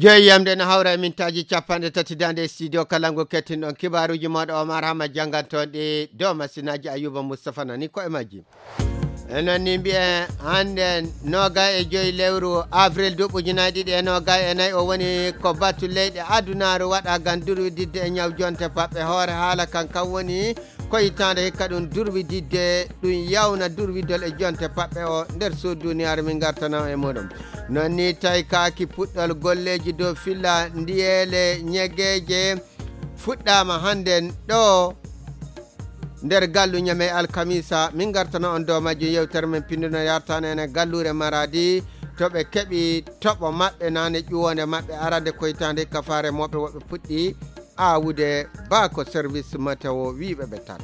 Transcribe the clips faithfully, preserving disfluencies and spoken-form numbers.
Joyi yamde no hawra e mintaaji capanɗe tati daande e studio kala ngu kettinɗon kibaaruuji mooɗo Omar Hama janngantoon ɗi dow masinaaji Ayuba Mustafa nani ko e majji. E noon ni mbiyen hannde noga e joyi lewru avril duuɓi ujunaaji ɗiɗi e noga e nayi o woni ko batu leyɗe adunaaru waɗa ngam durwididde e ñaw jonte paɓɓe hoore haala kan kan woni ko hitaande hikka ɗum durwididde ɗum yawna durwidol e jonte paɓɓe o nder suudu duniyaaru min ngartana e muɗum. Noon ni tawi kaaki puɗɗol golleeji dow filla ndiyeele ñegeeje fuɗɗaama hannden ɗo nder gallu ñamey alkamisa min ngartana on dow majjum yewtere men pinduno yartana ene galluure maradi to ɓe keɓi toɓo maɓɓe nane ƴuwonde maɓɓe arande koytande hikka faare moɓe woɓɓe puɗɗi awude ba ko service météo wiiɓe ɓe tan.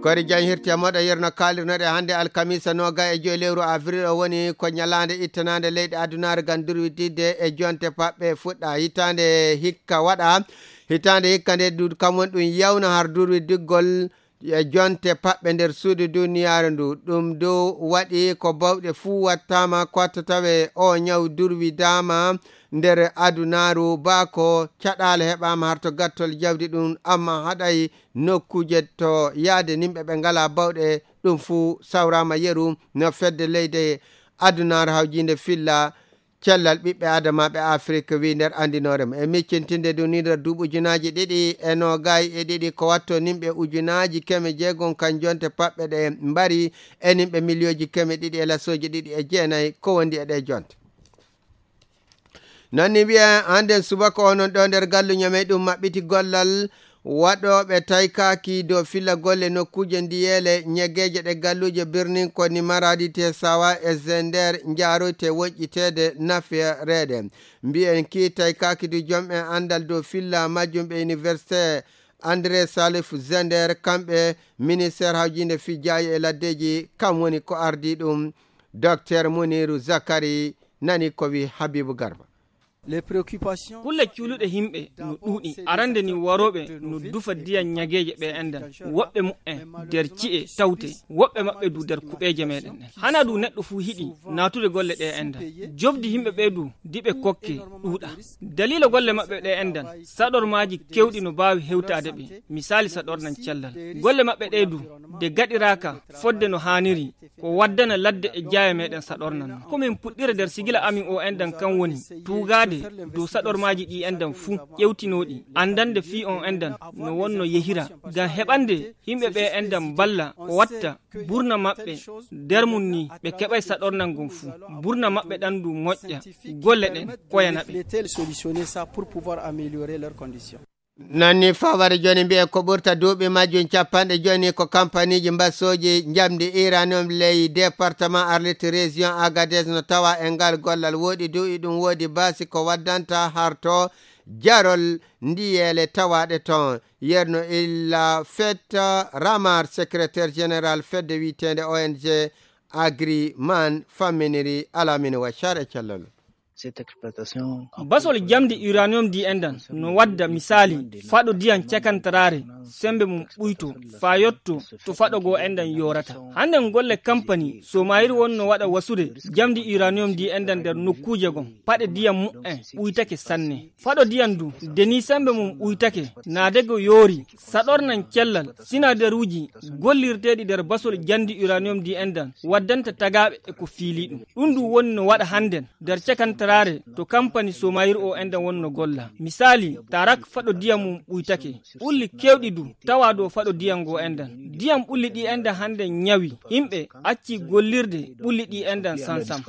Kori jan hirti e moɗo yerno kalirnoɗe hannde alkamisa noga e joyi lewru avril o woni ko ñalaande ittanande leyɗe adunaare ngam durwididde e jonte paɓɓe fuɗɗa hitaande hikka waɗa hitaande hikka nde duudu kam woni ɗum yawna har durwidiggol e jonte paɓɓe nder suudu duniyaaru ndu ɗum dow waɗi ko bawɗe fuu wattaama ko watta tawe o ñaw durwidaama nder adunaaru ba ko caɗaale heɓaama har to gattol jawdi ɗum amma haɗay nokkuuje to yaade nimɓe ɓe ngalaa bawɗe ɗum fuu sawraama yeru no fedde leyde adunaaru hawjiinde filla cellal ɓiɓɓe adamaaɓe afrik wi nder anndinoore mum e miccintinde ɗum ni nder duuɓi ujunaaji ɗiɗi e noogay e ɗiɗi ko watto nimɓe ujunaaji keme jeegom kan jonte paɓɓe ɗe mbari e nimɓe miliyooji keme ɗiɗi e lasooji ɗiɗi e jeenay ko wondi e ɗe jonte. Noon ni mbiyen hannden subaka onon ɗo nder gallu ñamey ɗum maɓɓiti gollal waɗooɓe taykaaki dow filla golle nokkuuje ndiyeele ñegeeje ɗe galluuje birnin ko ni maraadi te sawa e zender njaaroyte woƴƴiteede nafireede. Mbiyen kii taykaaki du jom'en anndal dow filla majjum ɓe université andré salif zender kamɓe ministére hawjiinde fijjaaji e laddeeji kam woni ko ardii ɗum. Docteur muniru zakari nani ko wi habibu garba. Kulle cuuluɗe yimɓe no ɗuuɗi. Arande ni warooɓe no dufa ndiyam ñageeje ɓe endan. Woɓɓe muɓɓen nder ci'e tawte, woɓɓe maɓɓe du nder kuɓeeje meɗen ɗen. Hana du neɗɗo fuu hiɗi naatude golle ɗe endan. Jobdi yimɓe ɓe du diɓe kokke ɗuuɗa. Daliila golle maɓɓe ɗe endan, saɗormaaji kewɗi no baawi hewtaade ɓe. Misaali saɗornan cellal. Golle maɓɓe ɗe du de gaɗiraaka fodde no haaniri, ko waddana ladde e jaaye meɗen saɗornan non. Ko min puɗɗira nder sigila amin o endan kan woni tuugaade dow saɗormaaji ɗi endan fuu, ƴewtinooɗi, anndande fii on endan no wonno yehira, ngam heɓande yimɓe ɓe endan mballa ko watta burna maɓɓe nder mum ni ɓe keɓay saɗornan ngon fuu. Burna maɓɓe ɗan du moƴƴa, golle ɗen koyana ɓe. Nanni faware jooni mbiyen ko ɓurta duuɓi majjum capanɗe jooni ko kampaniiji mbasooji njamndi iranium ley département arlit région agadez no tawa e ngal gollal woɗi du iɗum woodi baasi ko waddanta harto jarol ndiyeele tawaɗe ton. Yerno illa fetta ramar secrétaire général fedde wiyeteende ong agriman famminiri alamine waccar e cellal. Basol jamdi uranium di endan no wadda misaali faɗo diyan cakantaraare sembe mum ɓuyto faa yotto to faɗo goo endan yoorata. Hannden golle kampani somayir wonno waɗa wasude jamdi uranium di endan nder nokkuuje gon paɗe diyan mu'en ɓuytake sanne. Faɗo diyan du deni sembe mum ɓuytake naadego yoori saɗornan cellal sinadaruuji gollirteeɗi nder basol jandi uranium di endan waddanta tagaaɓe e ko fiili ɗum. Ɗum du woni no waɗa hannden nder cakantaraare to kampani somayir o endan wonno golla. Misaali tarak faɗo diyam mum ɓuytake ɓulli kewɗi du tawa dow faɗo diyam ngo endan. Diyam ɓulli ɗi endan hannden ñawi yimɓe acci gollirde ɓulli ɗi endan sansam.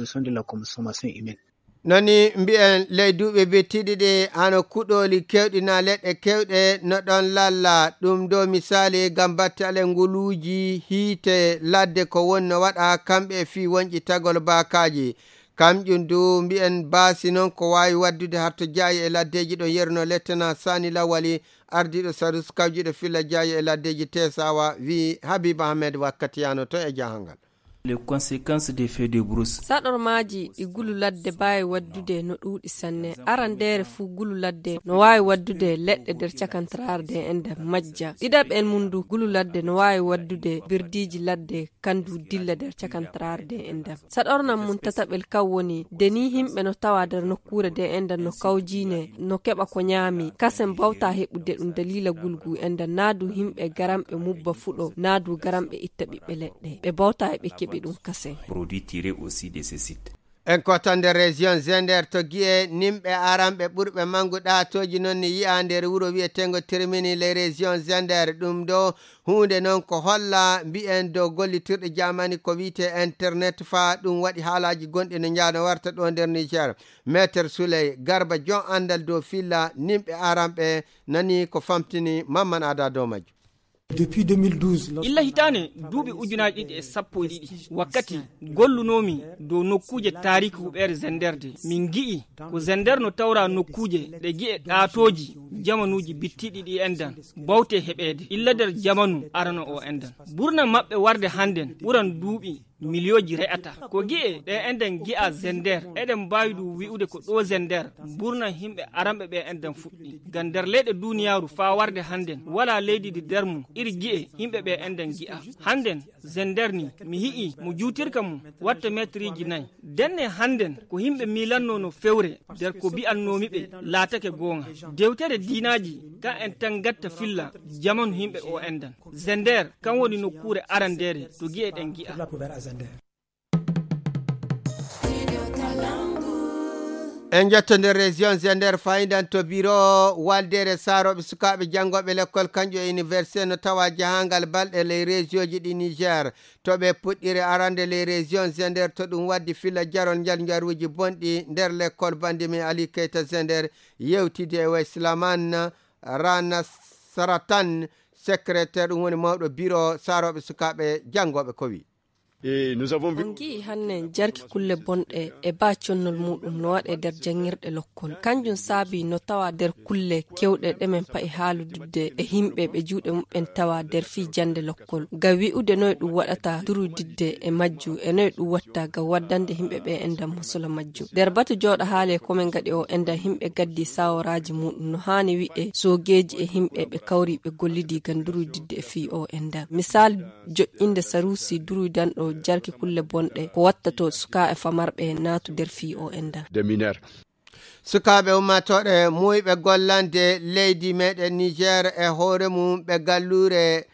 Nani mbiyen ley duuɓi bittiɗi ɗi hano kuɗooli kewɗi na leɗɗe kewɗe no ɗon lalla ɗum dow misaali ngam battale nguluuji hiite ladde ko wonno waɗa kamɓe e fii wonƴi tagol baakaaji. Kamƴum du mbiyen baasi noon ko waawi waddude harto jaayi e laddeeji ɗo yeruno lettena sani lawali ardiiɗo sarus kawjiɗo filla jaayi e laddeeji tesawa wi habib ahmed wakkati yano to e jahangal. Les conséquences des feux de brousse. Saɗormaaji ɗi gulu ladde mbaawi waɗdude no ɗuuɗi sanne. Arandeere fuu gulu ladde no waawi waɗdude leɗɗe nder cakantaraare nde enɗam majja. Ɗiɗaɓel mum ndu gulu ladde no waawi waɗdude birdiiji ladde kandu dilla nder cakantaraare nde enɗam. Saɗornam mum tataɓel kan woni nde nii yimɓe no tawa nder nokkuure nde enɗam no kawjiine no keɓa ko ñaami. Kasen bawta heɓude ɗum daliila gulgu enɗam naadu yimɓe garamɓe mubba fuɗo naadu garamɓe itta ɓiɓɓe leɗɗe. Ɓe bawta eɓe keɓi ɗum kasen. Produit tiré aussi de ce site. En kotande région Zender to Guiye, nimɓe aranɓe ɓurɓe mangu ɗaatooji noon ni yi'a nder wuro wi'eteengo Termini les régions Zender. Ɗum ɗo huunde noon ko holla mbi'en dow gollitirɗe jamani ko wi'etee internet fa ɗum waɗi haalaaji gonɗi no njaano warta ɗo nder Niger. Maître Souley Garba jon anndal dow filla nimɓe aranɓe nani ko famtini Mamman Ada dow majjum. Depuis deux mille douze, illa hitaane duuɓi ujunaaji ɗiɗi e sappo e ɗiɗi, wakkati gollunoomi dow nokkuuje taariki huɓeere Zender de, min ngi'i ko Zender no tawra nokkuuje ɗe gi'e ɗaatooji jamanuuji bittiɗi ɗi enɗan bawte heɓeede illa nder jamanu arano o enɗan. Burna maɓɓe warde hannden ɓuran duuɓi miliyooji re'ata. Ko gi'e ɗe enɗen gi'a Zender, eɗen mbaawi ɗum wi'ude ko ɗo Zender burna yimɓe aranɓe ɓe enɗen fuɗɗi. Ngam nder leyɗe duniyaaru faa warde hannden, walaa leydi ndi nder mum iri gi'e yimɓe ɓe enɗen gi'a. Hannden, Zender ni, mi hi'i mo juutirka mum watta meetiriiji nayi. Ndenne hannden, ko yimɓe miilannoo no fewre nder ko bi'annoomi ɓe laatake goonga. Dewtere diinaaji, ka en tan ngatta filla jamanu yimɓe o enɗan. Zender, kan woni nokkuure arandeere to gi'e ɗen gi'a. En njetto nder région Zender fayidan to biro waldeere saarooɓe sukaaɓe janngooɓe lekkol kanƴo e université no tawa jahangal balɗe ley région ji ɗi Niger. To ɓe puɗɗiri arande ley région Zender to ɗum waddi filla jarol njar njaruuji bonɗi nder lekkol bandi men Ali Keita Zender yewtidi e Waislaman Rana Saratan, secrétaire ɗum woni mawɗo biro saarooɓe sukaaɓe janngooɓe ko wi. Et nous avons vu On ngi'i hanne jarki kulle bonɗe e baa connol muɗum no waɗe nder janngirɗe lokkol. Kanjum saabi no tawa nder kulle kewɗe ɗe men pa'i haalududde e himɓe ɓe juuɗe muɓɓen tawa nder fii jannde lokkol. Ngam wi'ude noy ɗum waɗata durudidde e majju e noy ɗum watta ngam waddande himɓe ɓe enɗam musula majju. Nder batu jooɗo haale ko men ngaɗi o enɗam himɓe gaddi saworaaji muɗum no haani wi'e soogeeji e himɓe ɓe kawri ɓe gollidi ngam durudidde e fii o enɗam. Misal joƴƴinde saruusi durudanɗo jarki kulle bonɗe ko wattato sukaaɓe famarɓe naatu nder fii o enɗam. Des mineurs. Sukaaɓe ummatooɓe muuyɓe gollande leydi meɗen Niger e hoore mum ɓe galluure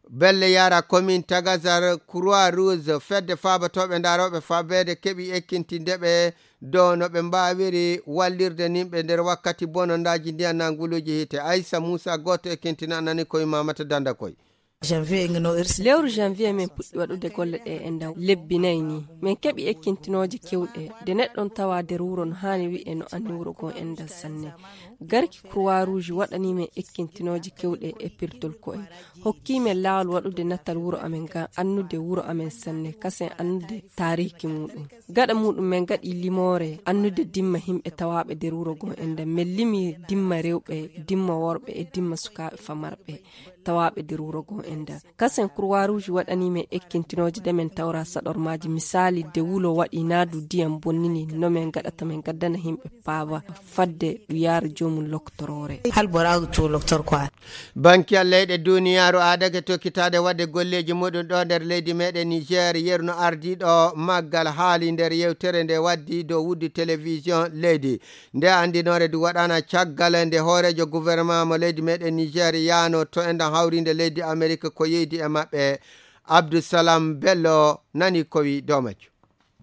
Belle Yara commune Tagazar Croix Rouge fedde faabatooɓe ndarooɓe fabeede keɓi ekkintinde ɓe dow no ɓe mbaawiri wallirde nimɓe nder wakkati bonondaaji ndiyan nanguluuji hiite. Aissa Moussa gooto ekkintina nani koye Mamata Danda koye. Lewru janvier min puɗɗi waɗude golle ɗe e nder lebbi nayi ni. Min keɓi ekkintinooje kewɗe. Nde neɗɗon tawa nder wuro no haani wi'e no anni wuro goo enɗan sanne. Garki Croix Rouge waɗani min ekkintinooje kewɗe e pirtol ko'e. Hokki min laawol waɗude natal wuro amen ngam annude wuro amen sanne, kasen annude taariiki muɗum. Gaɗa muɗum min ngaɗi limoore annude dimma himɓe tawaaɓe nder wuro goo enɗan. Min limi dimma rewɓe, dimma worɓe e dimma sukaaɓe famarɓe tawaaɓe nder wuro goo enɗan. Kasen Croix Rouge waɗani min ekkintinooje ɗe min tawra saɗormaaji. Misaali, nde wulo waɗi naadu ndiyam bonnini, no min ngaɗata min ngaddana himɓe paaba fadde ɗum yaara joomum loktoroore. Hal boraagu to loktor ko a. Bankiyal leyɗe duniyaaru aadake tokkitaade waɗde golleeji muɗum ɗo nder leydi meɗen Niger, yeru no ardiiɗo maggal haali nder yewtere nde waddi dow wuddu télévision leydi. Nde anndinoore ndu waɗaana caggal nde hooreejo gouvernement mo leydi meɗen Niger yaano to enɗan hawriinde leydi Amerik ko yeydi e maɓɓe. Abdou Salam Bello nani ko wi dow majjum.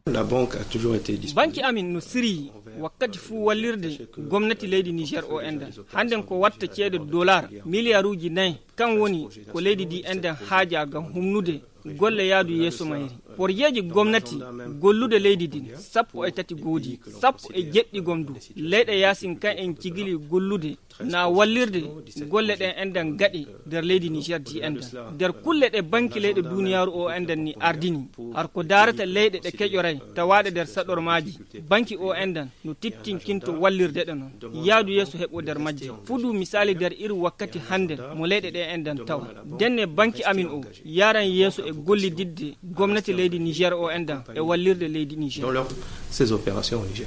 La banque a toujours été disponible. Banki amin no siryi wakkati fuu wallirde gomnati leydi Niger o enɗan. Hannden ko watta ceede dollar miliyaruuji nayi, kan woni ko leydi ndi enɗan haaja ngam humnude golle yaadu yeeso mayri. Porjeeji gomnati gollude leydi ndin sappo e tati goodi, sappo e jeɗɗi gom du. Leyɗe yaasin kan en cigili gollude na wallirde golle ɗen enɗan gaɗe nder leydi Niger ndi enɗan. Nder kulle ɗe banki leyɗe duniyaaru o enɗan ni ardini, har ko daarata leyɗe ɗe keƴoray tawaaɗe nder saɗormaaji, banki o enɗan no tittinkinto wallirde ɗe non. Yaadu yeeso heɓo nder majje. Fudu misaali nder iri wakkati hannden mo leyɗe ɗe enɗan tawa. Ndenne banki amin o yaran yeeso e gollididde gomnati Leydi Niger o enɗan e wallirde leydi Niger. Dans leur, ces opérations au Niger.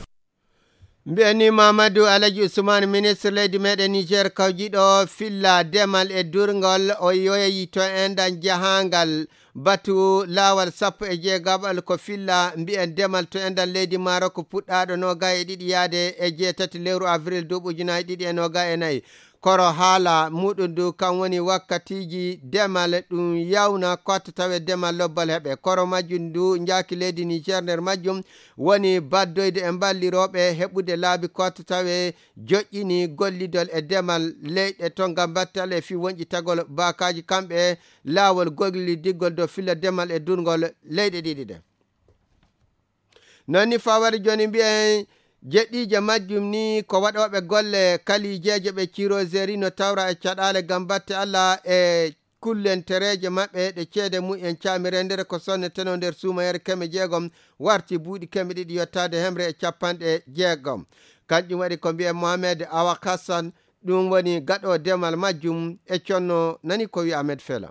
Mbiyen ni Mamadou Alaji Ousmane, ministre leydi meɗen Niger, kawjiɗo filla demal e durngol, o yoyi to enɗan jahangal batu lawal sappo e jeegaɓal ko filla mbiyen demal to enɗan leydi Maroc puɗɗaɗo noga e ɗiɗi yaade e jeetati lewru avril duuɓi ujunaaji ɗiɗi e noga e nayi. Koro haala muɗum ndu kan woni wakkatiiji demal ɗum yawna kotta tawe demal lobbal heɓe. Koro majjum ndu njaaki leydi Niger nder majjum woni baddoyde e mballirooɓe heɓude laabi kotta tawe joƴƴini gollidol e demal leyɗe to ngam battal e fii wonƴitagol baakaaji kamɓe laawol gollidigol dow filla demal e durngol leyɗe ɗiɗi ɗe. Non ni fawade jooni mbiyen jeɗɗiije majjum ni ko waɗooɓe golle kalijeeje ɓe ciroseri no tawra e caɗaale ngam batte Allah e kullentereeje maɓɓe ɗe ceede mumen caami rendere ko sonneteno nder suumayere keme jeegom warti buuɗi keme ɗiɗi yottaade hemre e capanɗe jeegom. Kanƴum waɗi ko mbiyen Mohamed Awa Hassan, ɗum woni gaɗo demal majjum e conno nani ko wi Ahmed Fela.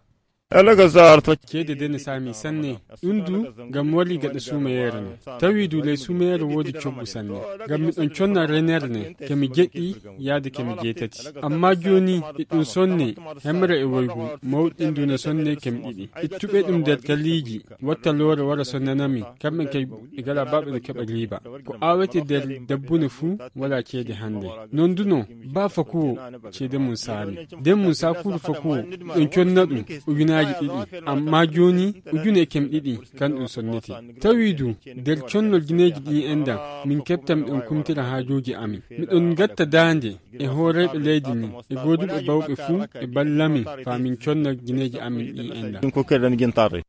Alaga Sarr to ceede de ne saami sanne. Ɗum du ngam wari gaɗa suumayeere no. Tawi du ley suumayeere woodi coggu sanne. Ngam miɗon conna renere ne, kemi jeɗɗi yaade kemi jeetati. Amma jooni e ɗum sonne, hemre e woygu, mawɗin du ne sonne kemi ɗiɗi. Ittuɓe ɗum nder kaliiji, watta loore wara sonnanami, kamɓe kay ɓe gala baɓe no keɓa riiba. Ko awete nder dabbune fuu wala ceede hannde. Non du no, ba fakuwo ceede mum saami. Den mum sakuuru fakuwo, ɗon conna ɗum ujunaaji ɗiɗi. Amma jooni, ujune e kem ɗiɗi, kan ɗum sonnete. Tawi du, nder connol gineeji ɗin enɗan, min keɓtan ɗon kumtira haajuuji amin. Miɗon gatta daande e hooreeɓe leydi ndin, e gooduɓe bawɓe fuu, e ballamin, faa min conna gineeji amin ɗin enɗan. Ɗum ko keɗen gintare.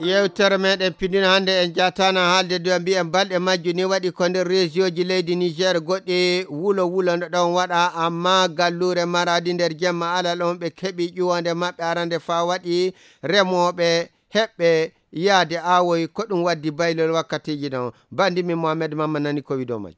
Yewtere meɗen pindino hannde en jatana haalde dow mbiyen balɗe majju ni waɗi ko nder région ji leydi Niger goɗɗi wulo wulo no ɗon waɗa, amma galluure Maradi nder jemma alal on ɓe keɓi ƴuwande maɓɓe arande fa waɗi remooɓe heɓɓe yaade awoy ko ɗum waddi baylol wakkatiji ɗon. Bandi min Mohamed Mamma nani ko wi dow majju.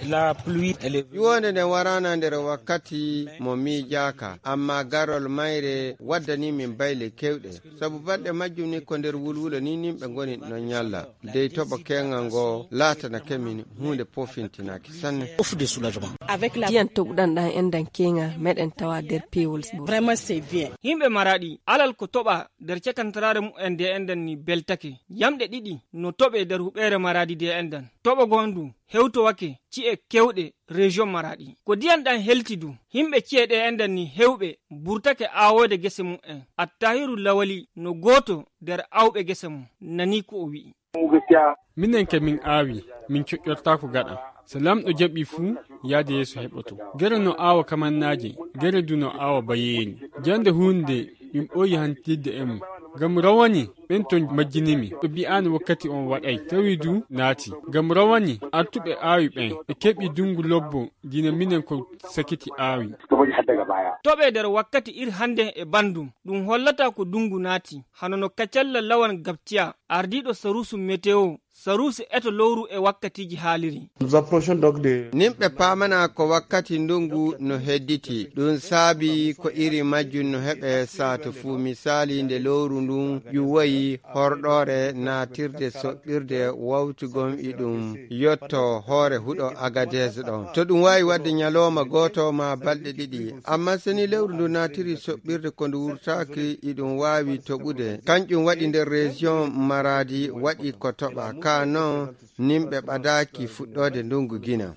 La pluie, elle est venue. Ƴuwonde nden warana nder wakkati mo miijaaka, amma garol mayre waddani min bayle kewɗe. Sabu balɗe majjum ni ko nder wulwulo ni nimɓe ngoni no ñalla. Dey toɓo keŋal ngo laatana kemin huunde pofintinaaki sanne. Ouf de soulagement. Avec la ndiyan toɓuɗan ɗan enɗan keŋa meɗen tawa nder peewol sbo. Vraiment, c'est bien. Yimɓe Maraɗi, alal ko toɓa nder cakantaraare mumen de enɗan ni beltake. Yamɗe ɗiɗi no toɓe nder huɓeere Maraadi de enɗan. Toɓo goo ndu hewtowake ci'e kewɗe région Maraadi. Ko ndiyan ɗan helti du, yimɓe ci'e ɗe enɗan ni hewɓe burtake awoyde gese mumen. Attahiru Lawali no gooto nder awɓe gese mum. Nani ko o wi'i. Minen ke min aawi, min coƴƴortaako gaɗa. So Laamɗo jaɓii fuu, yaade yeeso heɓoto. Gere no aawa kamannaaje, gere du no aawa bayeeri. Jannde huunde min ɓooyi hantirde e mum. Ngam rawani ɓen ton majjinimi, ɓe bi'aani wakkati on waɗay, tawi du naati. Ngam rawani artuɓe aawi ɓen, ɓe keɓi dunngu lobbo, dina minen ko sakiti aawi. Toɓe nder wakkati ir hannde e banndum, ɗum hollata ko dunngu naati. Hano no Kacalla Lawan Gabtiya, ardiiɗo saruusu meteo, saruusu eto lowru e wakkatiiji haaliri. Nous approchons donc de Nimɓe paamana ko wakkati ndungu no hedditi. Ɗum saabi ko iri majjum no heɓe saatu fuu. Misaali, nde lowru ndun ƴuwoyi horɗoore naatirde soɓɓirde wawtugom iɗum yotto hoore huɗo Agadez ɗon. To ɗum waawi waɗde ñalooma gooto maa balɗe ɗiɗi. Amma so ni lewru ndu naatiri soɓɓirde ko ndu wurtaaki, iɗum waawi toɓude. Kanƴum waɗi nder région Maradi waɗi ko toɓa. Ka non, nimɓe ɓadaaki fuɗɗoode ndungu gina.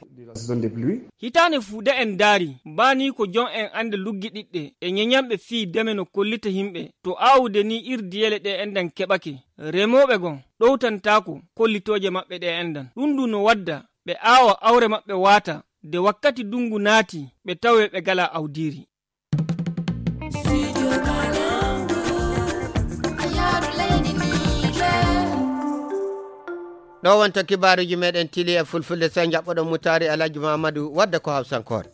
Hitaande fuu de en ndaari, baa nii ko jom en annde luggiɗiɗɗe e ñeñanɓe fii deme no kollita yimɓe. To aawude nii ir diyele ɗe enɗan keɓake, remooɓe gon ɗowtantaako kollitooje maɓɓe ɗe enɗan. Ɗum ndu no wadda ɓe aawa awre maɓɓe waata, de wakkati ndungu naati, ɓe tawee ɓe galaa awdiiri. Ɗo wonta kibaaruuji meɗen tili e fulfulde, sey njaɓɓoɗon Mutaari Alhaji Mamadou wadda ko hawsankoore.